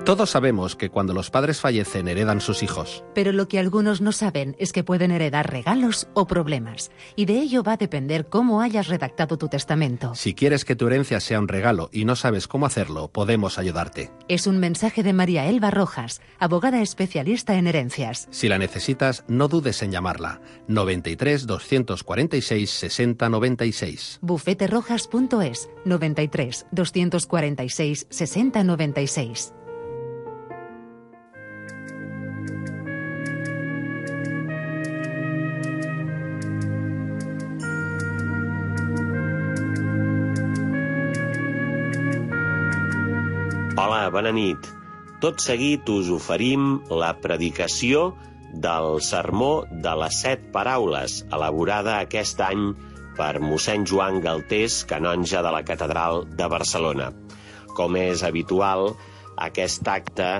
Todos sabemos que cuando los padres fallecen heredan sus hijos. Pero lo que algunos no saben es que pueden heredar regalos o problemas. Y de ello va a depender cómo hayas redactado tu testamento. Si quieres que tu herencia sea un regalo y no sabes cómo hacerlo, podemos ayudarte. Es un mensaje de María Elba Rojas, abogada especialista en herencias. Si la necesitas, no dudes en llamarla. 93 246 60 96. Bufeterojas.es 93 246 60 96. Hola, bona nit. Tot seguit us oferim la predicació del Sermó de les 7 Paraules, elaborada aquest any per mossèn Joan Galtés, canonge de la Catedral de Barcelona. Com és habitual, aquest acte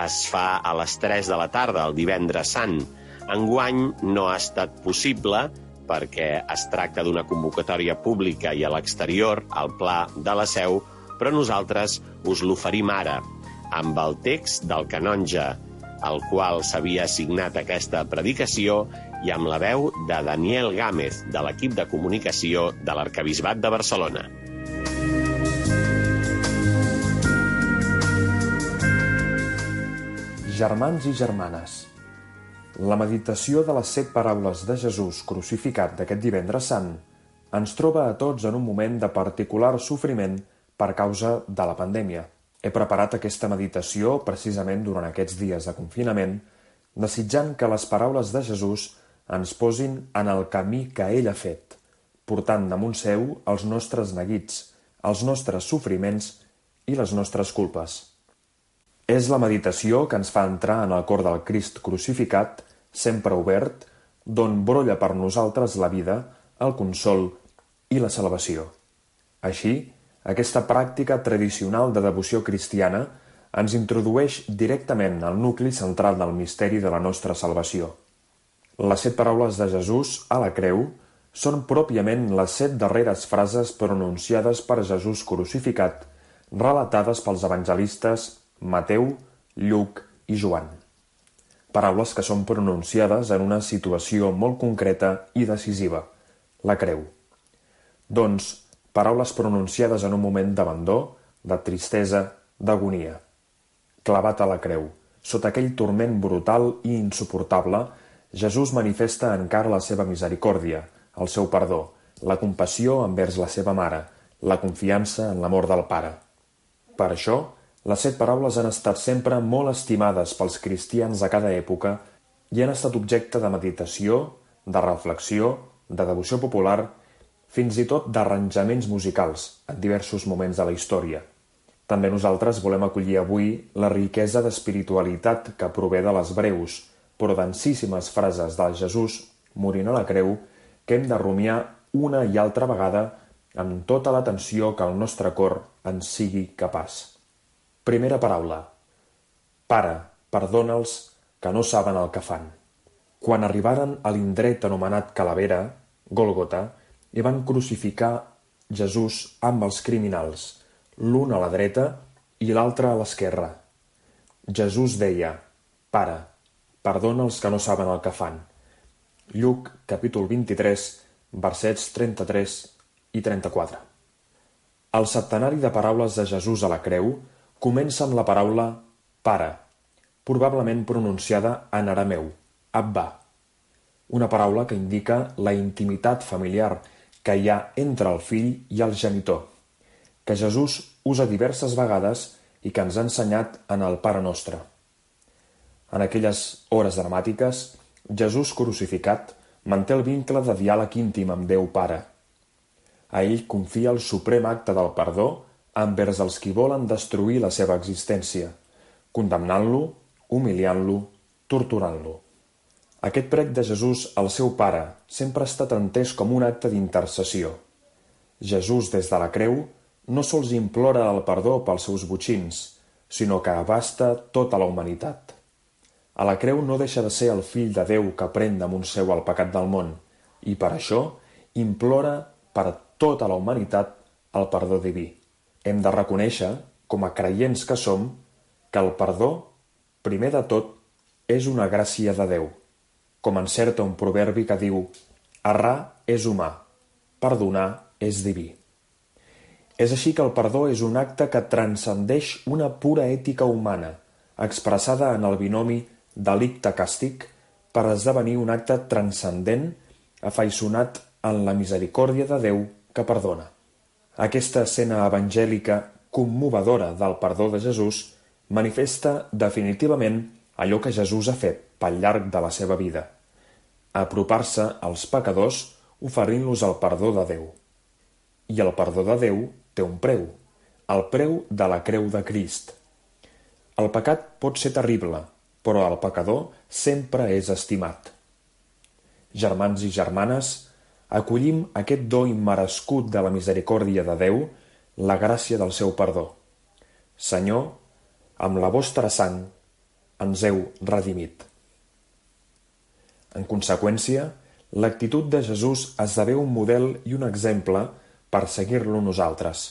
es fa a les 3 de la tarda, el divendres sant. Enguany no ha estat possible perquè es tracta d'una convocatòria pública i a l'exterior, al Pla de la Seu, però nosaltres us l'oferim ara, amb el text del canonge, al qual s'havia assignat aquesta predicació, i amb la veu de Daniel Gámez, de l'equip de comunicació de l'Arquebisbat de Barcelona. Germans i germanes, la meditació de les 7 paraules de Jesús crucificat d'aquest divendres sant ens troba a tots en un moment de particular sofriment per causa de la pandèmia. He preparat aquesta meditació precisament durant aquests dies de confinament, desitjant que les paraules de Jesús ens posin en el camí que ell ha fet, portant damunt seu els nostres neguits, els nostres sofriments i les nostres culpes. És la meditació que ens fa entrar en el cor del Crist crucificat, sempre obert, d'on brolla per nosaltres la vida, el consol i la salvació. Així, aquesta pràctica tradicional de devoció cristiana ens introdueix directament al nucli central del misteri de la nostra salvació. Les 7 paraules de Jesús a la creu són pròpiament les 7 darreres frases pronunciades per Jesús crucificat, relatades pels evangelistes Mateu, Lluc i Joan. Paraules que són pronunciades en una situació molt concreta i decisiva, la creu. Doncs, paraules pronunciades en un moment d'abandó, de tristesa, d'agonia. Clavat a la creu, sota aquell turment brutal i insuportable, Jesús manifesta encara la seva misericòrdia, el seu perdó, la compassió envers la seva mare, la confiança en l'amor del Pare. Per això, les 7 paraules han estat sempre molt estimades pels cristians de cada època i han estat objecte de meditació, de reflexió, de devoció popular, fins i tot d'arranjaments musicals en diversos moments de la història. També nosaltres volem acollir avui la riquesa d'espiritualitat que prové de les breus, però densíssimes frases del Jesús morint a la creu que hem de rumiar una i altra vegada amb tota l'atenció que el nostre cor ens sigui capaç. Primera paraula. Pare, perdona'ls que no saben el que fan. Quan arribaren a l'indret anomenat Calavera, Gòlgota, i van crucificar Jesús amb els criminals, l'un a la dreta i l'altre a l'esquerra. Jesús deia, Pare, perdona els que no saben el que fan. Lluc, capítol 23, versets 33 i 34. El septenari de paraules de Jesús a la creu comença amb la paraula Pare, probablement pronunciada en arameu, Abba, una paraula que indica la intimitat familiar que hi ha entre el fill i el genitor, que Jesús usa diverses vegades i que ens ha ensenyat en el Pare Nostre. En aquelles hores dramàtiques, Jesús crucificat manté el vincle de diàleg íntim amb Déu Pare. A ell confia el suprem acte del perdó envers els qui volen destruir la seva existència, condemnant-lo, humiliant-lo, torturant-lo. Aquest prec de Jesús al seu Pare sempre ha estat entès com un acte d'intercessió. Jesús, des de la creu, no sols implora el perdó pels seus botxins, sinó que abasta tota la humanitat. A la creu no deixa de ser el fill de Déu que pren damunt seu el pecat del món, i per això implora per tota la humanitat el perdó diví. Hem de reconèixer, com a creients que som, que el perdó, primer de tot, és una gràcia de Déu, com encerta un proverbi que diu: errar és humà, perdonar és diví. És així que el perdó és un acte que transcendeix una pura ètica humana, expressada en el binomi delicte-càstig, per esdevenir un acte transcendent, afaiçonat en la misericòrdia de Déu que perdona. Aquesta escena evangèlica commovedora del perdó de Jesús manifesta definitivament allò que Jesús ha fet pel llarg de la seva vida: apropar-se als pecadors oferint-los el perdó de Déu. I el perdó de Déu té un preu, el preu de la creu de Crist. El pecat pot ser terrible, però el pecador sempre és estimat. Germans i germanes, acollim aquest do immerescut de la misericòrdia de Déu, la gràcia del seu perdó. Senyor, amb la vostra sang ens heu redimit. En conseqüència, l'actitud de Jesús esdevé un model i un exemple per seguir-lo nosaltres.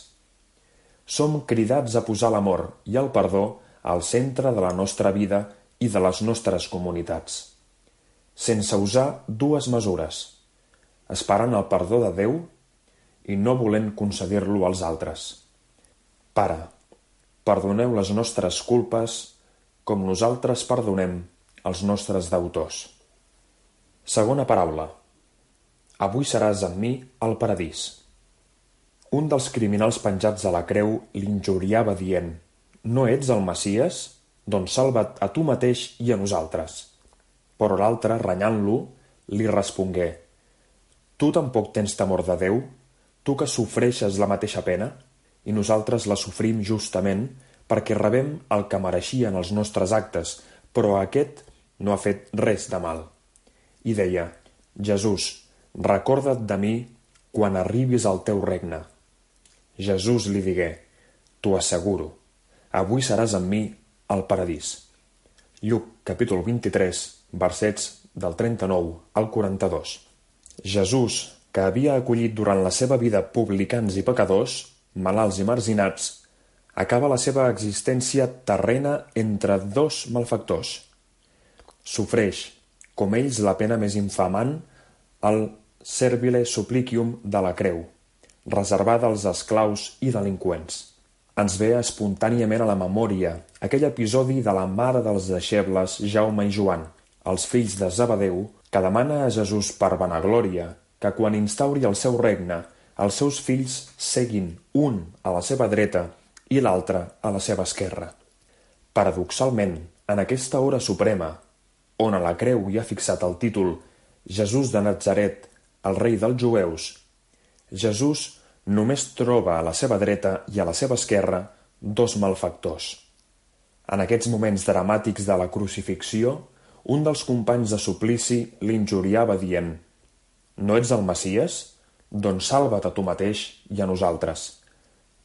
Som cridats a posar l'amor i el perdó al centre de la nostra vida i de les nostres comunitats, sense usar dues mesures: esperant el perdó de Déu i no volent concedir-lo als altres. Pare, perdoneu les nostres culpes com nosaltres perdonem els nostres deutors. Segona paraula. Avui seràs amb mi al paradís. Un dels criminals penjats a la creu l'injuriava dient: no ets el Messies? Doncs salva't a tu mateix i a nosaltres. Però l'altre, renyant-lo, li respongué: tu tampoc tens temor de Déu? Tu que sofreixes la mateixa pena? I nosaltres la sofrim justament perquè rebem el que mereixien els nostres actes, però aquest no ha fet res de mal. I deia: Jesús, recorda't de mi quan arribis al teu regne. Jesús li digué: t'ho asseguro, avui seràs amb mi al paradís. Lluc, capítol 23, versets del 39 al 42. Jesús, que havia acollit durant la seva vida publicans i pecadors, malalts i marginats, acaba la seva existència terrena entre dos malfactors. Sofreix, com ells, la pena més infamant, el servile supplicium de la creu, reservada als esclaus i delinqüents. Ens ve espontàniament a la memòria aquell episodi de la mare dels deixebles Jaume i Joan, els fills de Zebedeu, que demana a Jesús per vanaglòria que quan instauri el seu regne, els seus fills seguin un a la seva dreta i l'altre a la seva esquerra. Paradoxalment, en aquesta hora suprema, on a la creu hi ha fixat el títol Jesús de Natzaret, el rei dels jueus, Jesús només troba a la seva dreta i a la seva esquerra dos malfactors. En aquests moments dramàtics de la crucifixió, un dels companys de suplici l'injuriava dient: no ets el Messies? Doncs salva't a tu mateix i a nosaltres.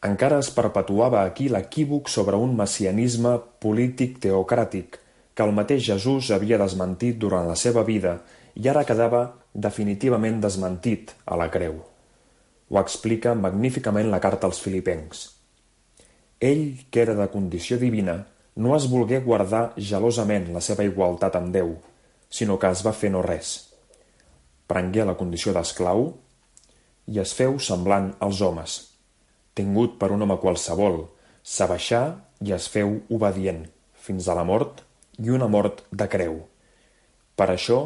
Encara es perpetuava aquí l'equívoc sobre un messianisme polític teocràtic que el mateix Jesús havia desmentit durant la seva vida i ara quedava definitivament desmentit a la creu. Ho explica magníficament la carta als Filipencs. Ell, que era de condició divina, no es volgué guardar gelosament la seva igualtat amb Déu, sinó que es va fer no res. Prengué la condició d'esclau i es feu semblant als homes. Tingut per un home qualsevol, s'abaixà i es feu obedient, fins a la mort i una mort de creu. Per això,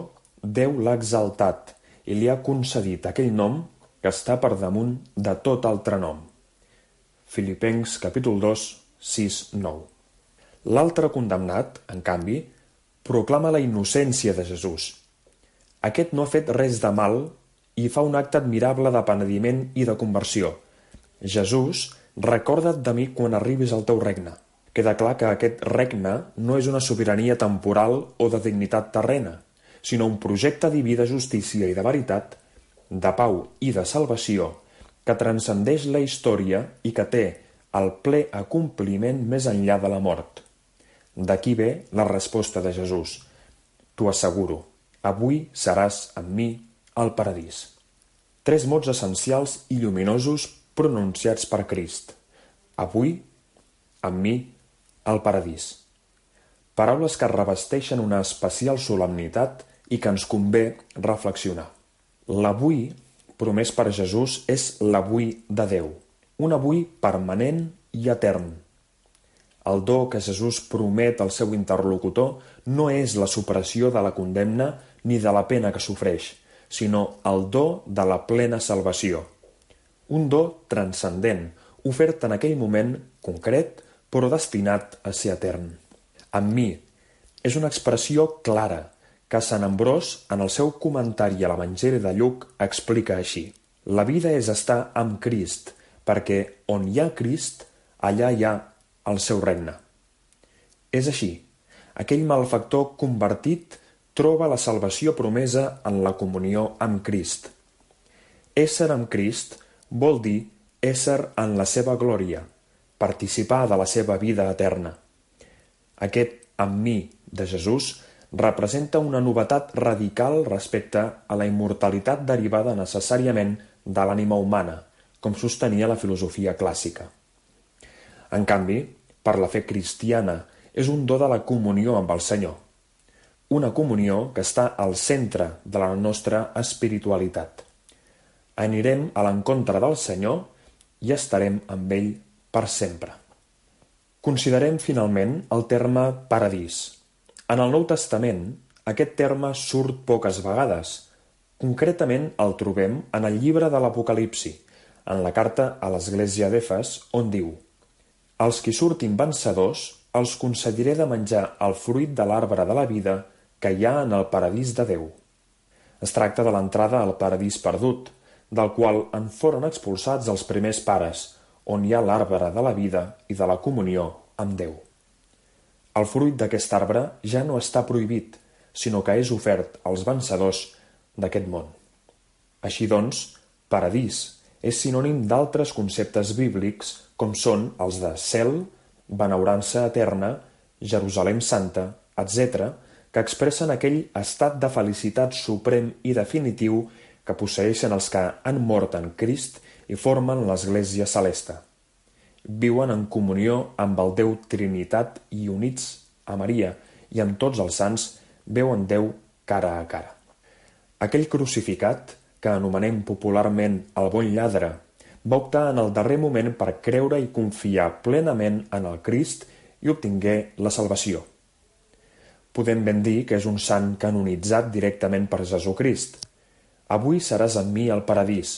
Déu l'ha exaltat i li ha concedit aquell nom que està per damunt de tot altre nom. Filipencs capítol 2, 6, 9. L'altre condemnat, en canvi, proclama la innocència de Jesús. Aquest no ha fet res de mal i fa un acte admirable de penediment i de conversió. Jesús, recorda't de mi quan arribis al teu regne. Queda clar que aquest regne no és una sobirania temporal o de dignitat terrena, sinó un projecte diví de justícia i de veritat, de pau i de salvació, que transcendeix la història i que té el ple acompliment més enllà de la mort. D'aquí ve la resposta de Jesús: t'ho asseguro, avui seràs amb mi al paradís. 3 mots essencials i lluminosos pronunciats per Crist: avui, amb mi el paradís. Paraules que revesteixen una especial solemnitat i que ens convé reflexionar. L'avui promès per Jesús és l'avui de Déu, un avui permanent i etern. El do que Jesús promet al seu interlocutor no és la supressió de la condemna ni de la pena que sofreix, sinó el do de la plena salvació. Un do transcendent, ofert en aquell moment concret, però destinat a ser etern. Amb mi és una expressió clara que Sant Ambròs, en el seu comentari a l'Evangeli de Lluc, explica així. La vida és estar amb Crist, perquè on hi ha Crist, allà hi ha el seu regne. És així, aquell malfactor convertit troba la salvació promesa en la comunió amb Crist. Ésser amb Crist vol dir ésser en la seva glòria, participar de la seva vida eterna. Aquest amb mi de Jesús representa una novetat radical respecte a la immortalitat derivada necessàriament de l'ànima humana, com sostenia la filosofia clàssica. En canvi, per la fe cristiana, és un do de la comunió amb el Senyor. Una comunió que està al centre de la nostra espiritualitat. Anirem a l'encontre del Senyor i estarem amb ell per sempre. Considerem finalment el terme paradís. En el Nou Testament, aquest terme surt poques vegades. Concretament el trobem en el llibre de l'Apocalipsi, en la carta a l'església d'Efes, on diu: «Els qui surtin vencedors els concediré de menjar el fruit de l'arbre de la vida que hi ha en el paradís de Déu». Es tracta de l'entrada al paradís perdut, del qual en foren expulsats els primers pares, on hi ha l'arbre de la vida i de la comunió amb Déu. El fruit d'aquest arbre ja no està prohibit, sinó que és ofert als vencedors d'aquest món. Així doncs, paradís és sinònim d'altres conceptes bíblics com són els de cel, benaurança eterna, Jerusalem Santa, etc., que expressen aquell estat de felicitat suprem i definitiu que posseeixen els que han mort en Crist i formen l'Església Celeste. Viuen en comunió amb el Déu Trinitat i units a Maria i amb tots els sants veuen Déu cara a cara. Aquell crucificat, que anomenem popularment el bon lladre, va optar en el darrer moment per creure i confiar plenament en el Crist i obtingué la salvació. Podem ben dir que és un sant canonitzat directament per Jesucrist. Avui seràs amb mi al paradís.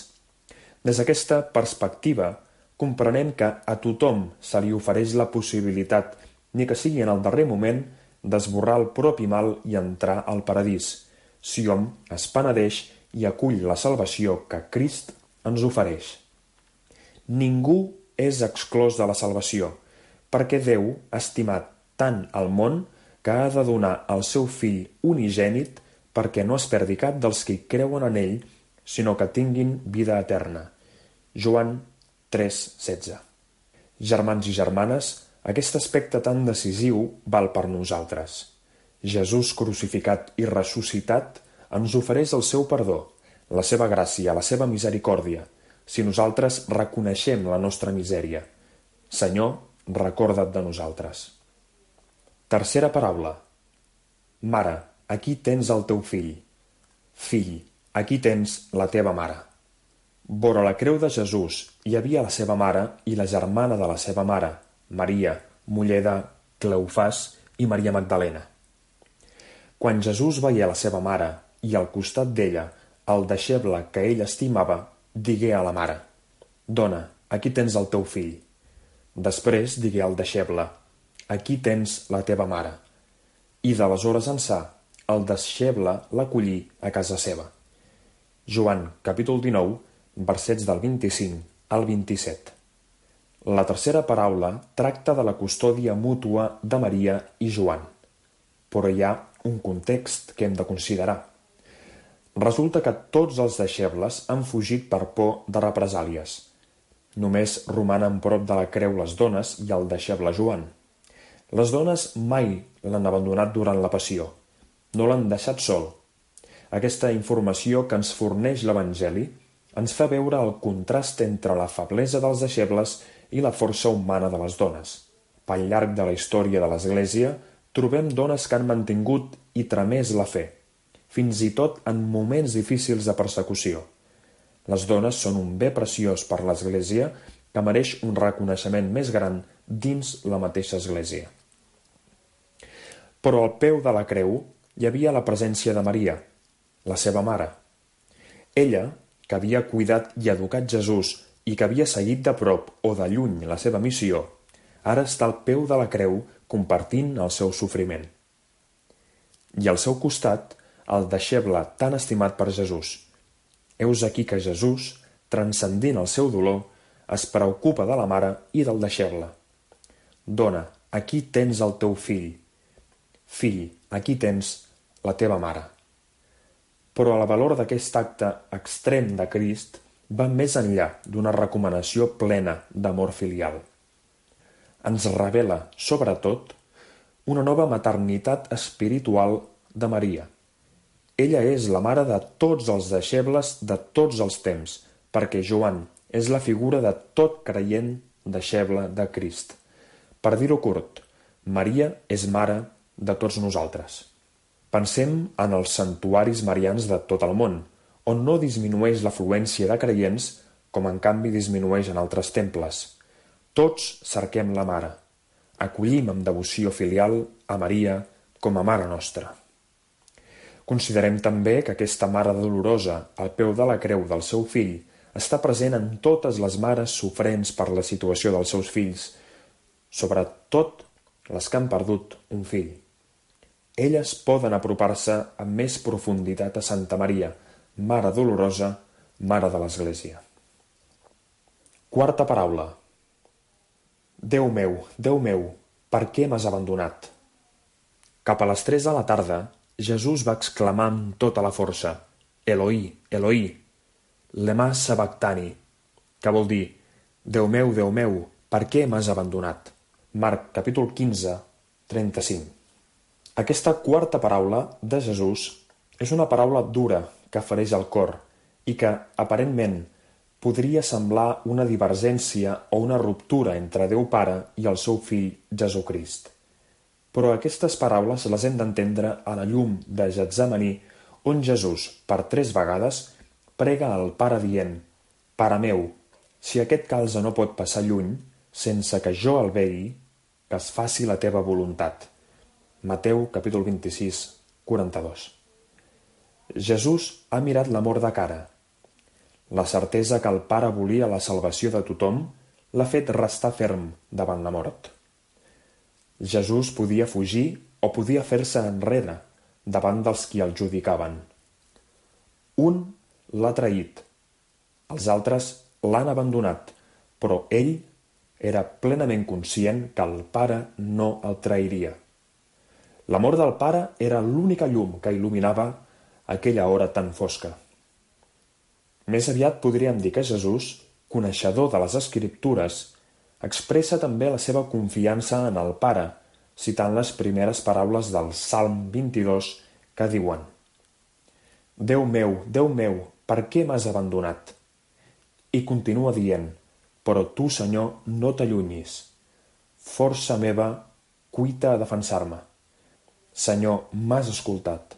Des d'aquesta perspectiva, comprenem que a tothom se li ofereix la possibilitat, ni que sigui en el darrer moment, d'esborrar el propi mal i entrar al paradís, si hom es penedeix i acull la salvació que Crist ens ofereix. Ningú és exclòs de la salvació, perquè Déu ha estimat tant el món que ha de donar el seu fill unigènit perquè no es perdi cap dels que creuen en ell, sinó que tinguin vida eterna. Joan 3,16. Germans i germanes, aquest aspecte tan decisiu val per nosaltres. Jesús crucificat i ressuscitat ens ofereix el seu perdó, la seva gràcia, la seva misericòrdia, si nosaltres reconeixem la nostra misèria. Senyor, recorda't de nosaltres. Tercera paraula. Mare, aquí tens el teu fill. Fill, aquí tens la teva mare. Vora la creu de Jesús hi havia la seva mare i la germana de la seva mare, Maria, muller de Cleofàs i Maria Magdalena. Quan Jesús veié la seva mare i al costat d'ella el deixeble que ell estimava, digué a la mare: «Dona, aquí tens el teu fill». Després digué al deixeble: «Aquí tens la teva mare». I d'aleshores ençà, el deixeble l'acollí a casa seva. Joan, capítol 19, versets del 25 al 27. La tercera paraula tracta de la custòdia mútua de Maria i Joan. Però hi ha un context que hem de considerar. Resulta que tots els deixebles han fugit per por de represàlies. Només romanen prop de la creu les dones i el deixeble Joan. Les dones mai l'han abandonat durant la passió. No l'han deixat sol. Aquesta informació que ens forneix l'Evangeli ens fa veure el contrast entre la feblesa dels deixebles i la força humana de les dones. Pel llarg de la història de l'Església trobem dones que han mantingut i tramès la fe, fins i tot en moments difícils de persecució. Les dones són un bé preciós per l'Església que mereix un reconeixement més gran dins la mateixa Església. Però al peu de la creu hi havia la presència de Maria, la seva mare. Ella, que havia cuidat i educat Jesús i que havia seguit de prop o de lluny la seva missió, ara està al peu de la creu compartint el seu sofriment. I al seu costat, el deixeble tan estimat per Jesús. Heus aquí que Jesús, transcendint el seu dolor, es preocupa de la mare i del deixeble. Dona, aquí tens el teu fill. Fill, aquí tens la teva mare. Però el valor d'aquest acte extrem de Crist va més enllà d'una recomanació plena d'amor filial. Ens revela, sobretot, una nova maternitat espiritual de Maria. Ella és la mare de tots els deixebles de tots els temps, perquè Joan és la figura de tot creient deixeble de Crist. Per dir-ho curt, Maria és mare de tots nosaltres. Pensem en els santuaris marians de tot el món, on no disminueix l'afluència de creients, com en canvi disminueix en altres temples. Tots cerquem la mare. Acollim amb devoció filial a Maria com a mare nostra. Considerem també que aquesta mare dolorosa al peu de la creu del seu fill està present en totes les mares sofrents per la situació dels seus fills, sobretot les que han perdut un fill. Elles poden apropar-se amb més profunditat a Santa Maria, Mare Dolorosa, Mare de l'Església. Quarta paraula. Déu meu, per què m'has abandonat? Cap a les 3 de la tarda, Jesús va exclamar amb tota la força: Eloi, Eloi, lema sabactani, que vol dir: Déu meu, per què m'has abandonat? Marc, capítol 15, 35. Aquesta quarta paraula de Jesús és una paraula dura que fereix el cor i que, aparentment, podria semblar una divergència o una ruptura entre Déu Pare i el seu fill Jesucrist. Però aquestes paraules les hem d'entendre a la llum de Getsemaní, on Jesús, per 3 vegades, prega al Pare dient: Pare meu, si aquest calze no pot passar lluny, sense que jo el vegi, que es faci la teva voluntat. Mateu, capítol 26, 42. Jesús ha mirat la mort de cara. La certesa que el Pare volia la salvació de tothom l'ha fet restar ferm davant la mort. Jesús podia fugir o podia fer-se enrere davant dels qui el judicaven. Un l'ha traït, els altres l'han abandonat, però ell era plenament conscient que el Pare no el trairia. L'amor del Pare era l'única llum que il·luminava aquella hora tan fosca. Més aviat podríem dir que Jesús, coneixedor de les Escriptures, expressa també la seva confiança en el Pare, citant les primeres paraules del Salm 22 que diuen: Déu meu, per què m'has abandonat? I continua dient: Però tu, Senyor, no t'allunyis. Força meva, cuita a defensar-me. Senyor, m'has escoltat.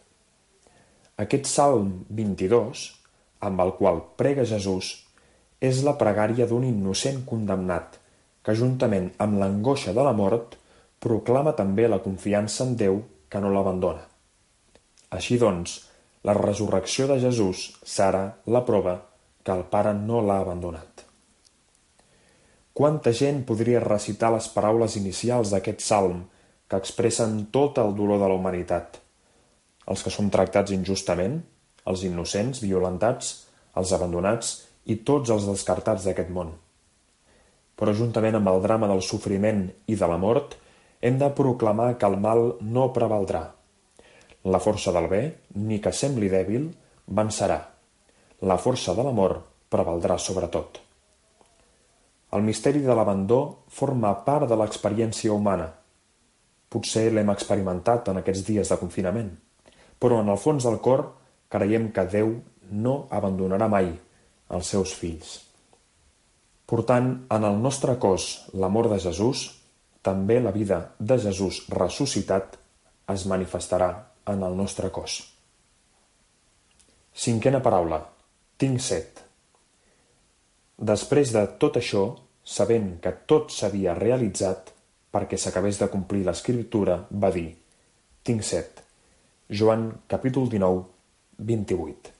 Aquest Salm 22, amb el qual prega Jesús, és la pregària d'un innocent condemnat que, juntament amb l'angoixa de la mort, proclama també la confiança en Déu que no l'abandona. Així doncs, la resurrecció de Jesús serà la prova que el Pare no l'ha abandonat. Quanta gent podria recitar les paraules inicials d'aquest salm que expressen tot el dolor de la humanitat? Els que són tractats injustament, els innocents, violentats, els abandonats i tots els descartats d'aquest món. Però juntament amb el drama del sofriment i de la mort, hem de proclamar que el mal no prevaldrà. La força del bé, ni que sembli dèbil, vencerà. La força de l'amor prevaldrà sobre tot. El misteri de l'abandó forma part de l'experiència humana. Potser l'hem experimentat en aquests dies de confinament, però en el fons del cor creiem que Déu no abandonarà mai els seus fills. Portant en el nostre cos l'amor de Jesús, també la vida de Jesús ressuscitat es manifestarà en el nostre cos. Cinquena paraula. Tinc set. Després de tot això, sabent que tot s'havia realitzat perquè s'acabés de complir l'Escriptura, va dir: tinc set. Joan capítol 19, 28.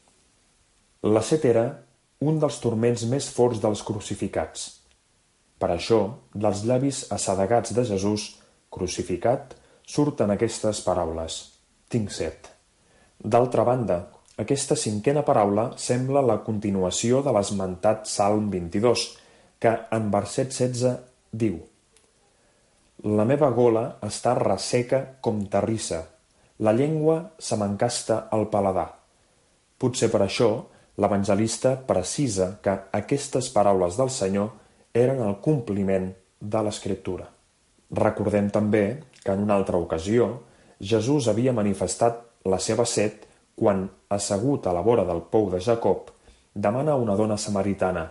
La set era un dels turments més forts dels crucificats. Per això, dels llavis assedegats de Jesús crucificat surten aquestes paraules: tinc set. D'altra banda, aquesta cinquena paraula sembla la continuació de l'esmentat Salm 22, que en verset 16 diu: la meva gola està resseca com terrissa, la llengua se m'encasta al paladar. Potser per això l'evangelista precisa que aquestes paraules del Senyor eren el compliment de l'Escriptura. Recordem també que en una altra ocasió Jesús havia manifestat la seva set quan, assegut a la vora del pou de Jacob, demana a una dona samaritana: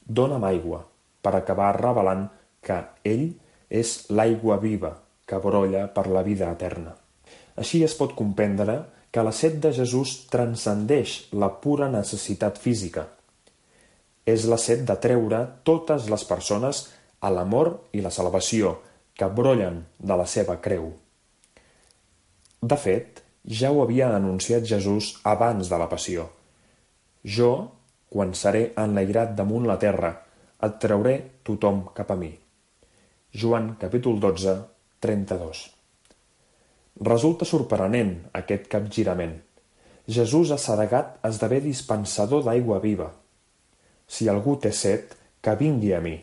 dona'm aigua, per acabar revelant que ell és l'aigua viva que brolla per la vida eterna. Així es pot comprendre que la set de Jesús transcendeix la pura necessitat física. És la set de treure totes les persones a l'amor i la salvació que brollen de la seva creu. De fet, ja ho havia anunciat Jesús abans de la passió. Jo, quan seré enlairat damunt la terra, et trauré tothom cap a mi. Joan capítol 12, 32. Resulta sorprenent aquest capgirament. Jesús assedegat esdevé dispensador d'aigua viva. Si algú té set, que vingui a mi,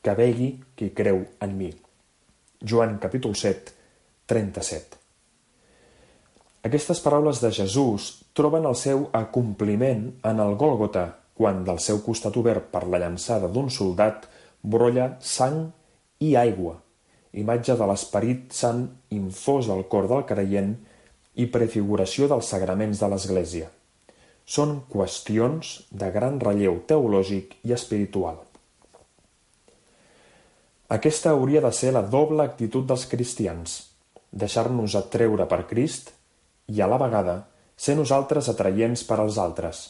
que begui qui creu en mi. Joan capítol 7, 37. Aquestes paraules de Jesús troben el seu acompliment en el Gòlgota, quan del seu costat obert per la llançada d'un soldat brolla sang i aigua, imatge de l'Esperit Sant infós al cor del creient i prefiguració dels sagraments de l'Església. Són qüestions de gran relleu teològic i espiritual. Aquesta hauria de ser la doble actitud dels cristians: deixar-nos atreure per Crist i, a la vegada, ser nosaltres atraients per als altres.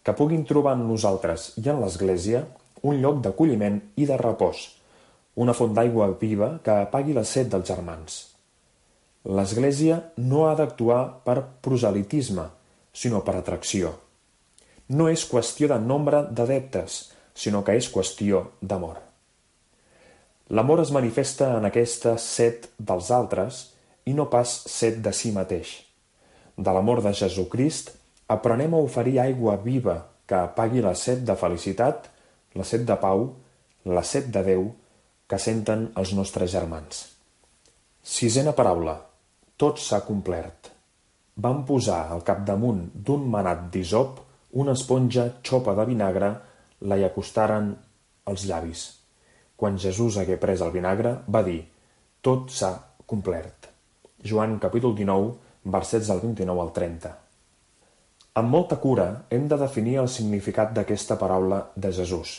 Que puguin trobar en nosaltres i en l'Església un lloc d'acolliment i de repòs, una font d'aigua viva que apagui la set dels germans. L'Església no ha d'actuar per proselitisme, sinó per atracció. No és qüestió de nombre d'adeptes, sinó que és qüestió d'amor. L'amor es manifesta en aquesta set dels altres i no pas set de si mateix. De l'amor de Jesucrist aprenem a oferir aigua viva que apagui la set de felicitat, la set de pau, la set de Déu que senten els nostres germans. Sisena paraula. Tot s'ha complert. Van posar al capdamunt d'un manat d'hisop una esponja xopa de vinagre, la hi acostaren als llavis. Quan Jesús hagué pres el vinagre, va dir: tot s'ha complert. Joan capítol 19, versets del 29 al 30. Amb molta cura hem de definir el significat d'aquesta paraula de Jesús.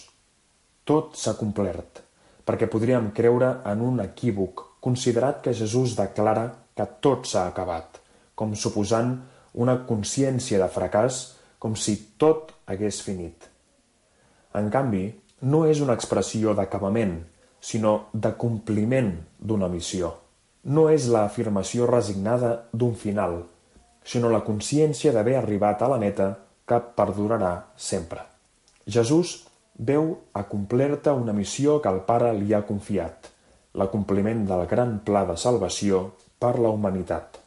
Tot s'ha complert, perquè podríem creure en un equívoc considerat que Jesús declara que tot s'ha acabat, com suposant una consciència de fracàs, com si tot hagués finit. En canvi, no és una expressió d'acabament, sinó de compliment d'una missió. No és l'afirmació resignada d'un final, sinó la consciència d'haver arribat a la meta que perdurarà sempre. Jesús veu acomplerta una missió que el Pare li ha confiat, l'acompliment del gran pla de salvació per la humanitat.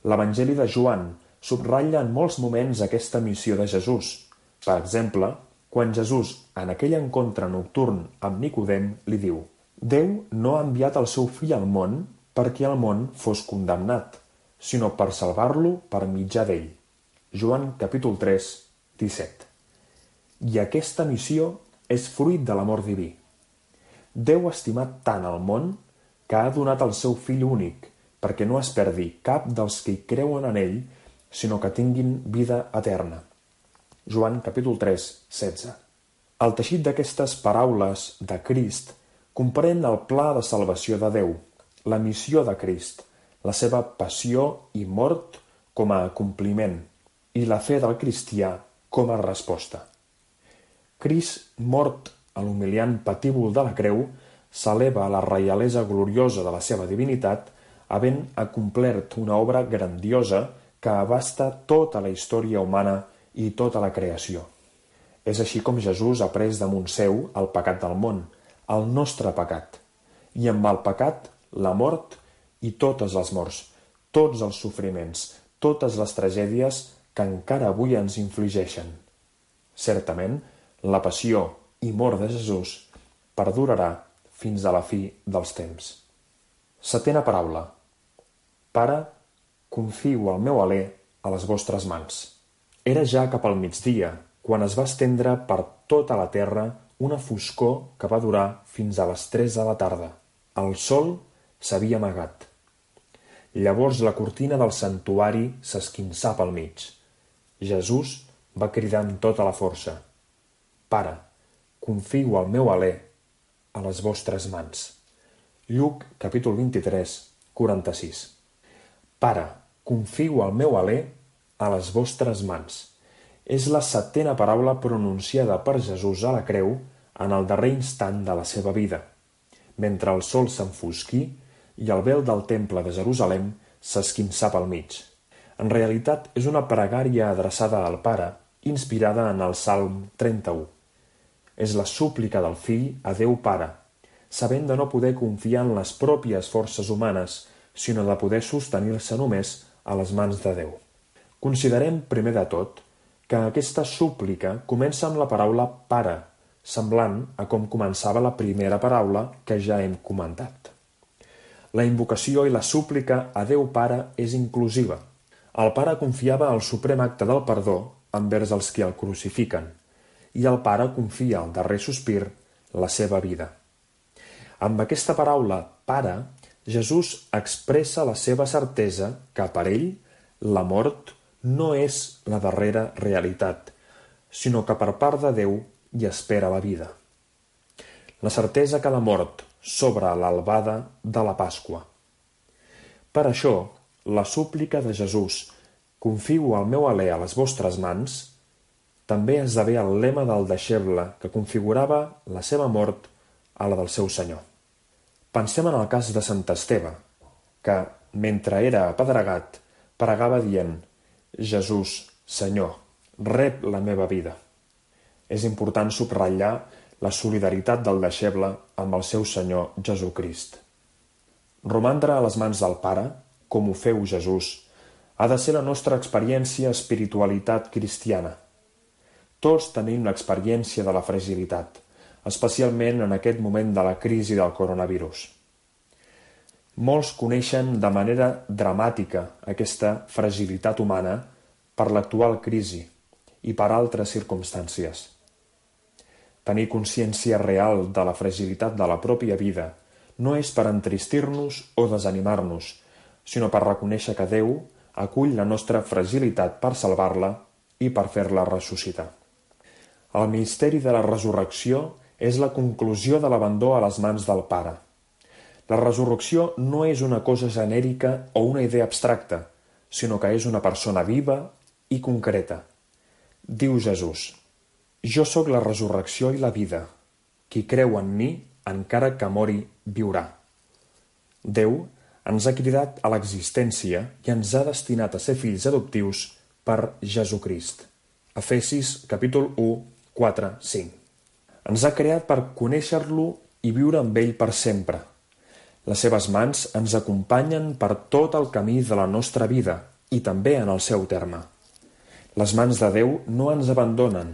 L'Evangeli de Joan subratlla en molts moments aquesta missió de Jesús. Per exemple, quan Jesús, en aquell encontre nocturn amb Nicodem, li diu: Déu no ha enviat el seu fill al món perquè el món fos condemnat, sinó per salvar-lo per mitjà d'ell. Joan capítol 3, 17. I aquesta missió és fruit de l'amor diví. Déu ha estimat tant el món que ha donat el seu fill únic, perquè no es perdi cap dels que hi creuen en ell, sinó que tinguin vida eterna. Joan capítol 3, 16. El teixit d'aquestes paraules de Crist comprèn el pla de salvació de Déu, la missió de Crist, la seva passió i mort com a compliment i la fe del cristià com a resposta. Crist, mort a l'humiliant patíbul de la creu, s'eleva a la reialesa gloriosa de la seva divinitat, havent acomplert una obra grandiosa que abasta tota la història humana i tota la creació. És així com Jesús ha pres damunt seu el pecat del món, el nostre pecat, i amb el pecat, la mort i totes les morts, tots els sofriments, totes les tragèdies que encara avui ens infligeixen. Certament, la passió i mort de Jesús perdurarà fins a la fi dels temps. Setena paraula. Pare, confio el meu alè a les vostres mans. Era ja cap al migdia, quan es va estendre per tota la terra una foscor que va durar fins a les 3 de la tarda. El sol s'havia amagat. Llavors la cortina del santuari s'esquinçà pel mig. Jesús va cridar amb tota la força: Pare, confio el meu alè a les vostres mans. Lluc, capítol 23, 46. Pare, confio el meu alè a les vostres mans. És la setena paraula pronunciada per Jesús a la creu en el darrer instant de la seva vida, mentre el sol s'enfosquí i el vel del temple de Jerusalem s'esquinçà pel mig. En realitat és una pregària adreçada al Pare, inspirada en el Salm 31. És la súplica del fill a Déu Pare, sabent de no poder confiar en les pròpies forces humanes, sinó de poder sostenir-se només a les mans de Déu. Considerem, primer de tot, que aquesta súplica comença amb la paraula pare, semblant a com començava la primera paraula que ja hem comentat. La invocació i la súplica a Déu Pare és inclusiva. El Pare confiava el suprem acte del perdó envers els qui el crucifiquen, i el Pare confia al darrer sospir la seva vida. Amb aquesta paraula pare, Jesús expressa la seva certesa que per ell la mort no és la darrera realitat, sinó que per part de Déu hi espera la vida. La certesa que la mort s'obre a l'albada de la Pasqua. Per això, la súplica de Jesús, confio el meu alè a les vostres mans, també esdevé el lema del deixeble que configurava la seva mort a la del seu Senyor. Pensem en el cas de Sant Esteve, que, mentre era apedregat, pregava dient: Jesús, Senyor, rep la meva vida. És important subratllar la solidaritat del deixeble amb el seu Senyor Jesucrist. Romandre a les mans del Pare, com ho feu Jesús, ha de ser la nostra experiència espiritualitat cristiana. Tots tenim l'experiència de la fragilitat, especialment en aquest moment de la crisi del coronavirus. Molts coneixen de manera dramàtica aquesta fragilitat humana per l'actual crisi i per altres circumstàncies. Tenir consciència real de la fragilitat de la pròpia vida no és per entristir-nos o desanimar-nos, sinó per reconèixer que Déu acull la nostra fragilitat per salvar-la i per fer-la ressuscitar. El misteri de la resurrecció és la conclusió de l'abandó a les mans del Pare. La resurrecció no és una cosa genèrica o una idea abstracta, sinó que és una persona viva i concreta. Diu Jesús: Jo sóc la resurrecció i la vida. Qui creu en mi, encara que mori, viurà. Déu ens ha cridat a l'existència i ens ha destinat a ser fills adoptius per Jesucrist. Efesis, capítol 1, 4, 5. Ens ha creat per conèixer-lo i viure amb ell per sempre. Les seves mans ens acompanyen per tot el camí de la nostra vida i també en el seu terme. Les mans de Déu no ens abandonen.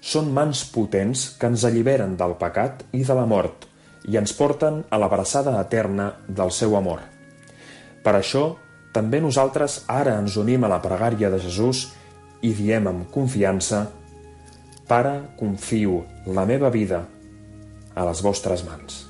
Són mans potents que ens alliberen del pecat i de la mort i ens porten a l'abraçada eterna del seu amor. Per això, també nosaltres ara ens unim a la pregària de Jesús i diem amb confiança: Pare, confio la meva vida a les vostres mans.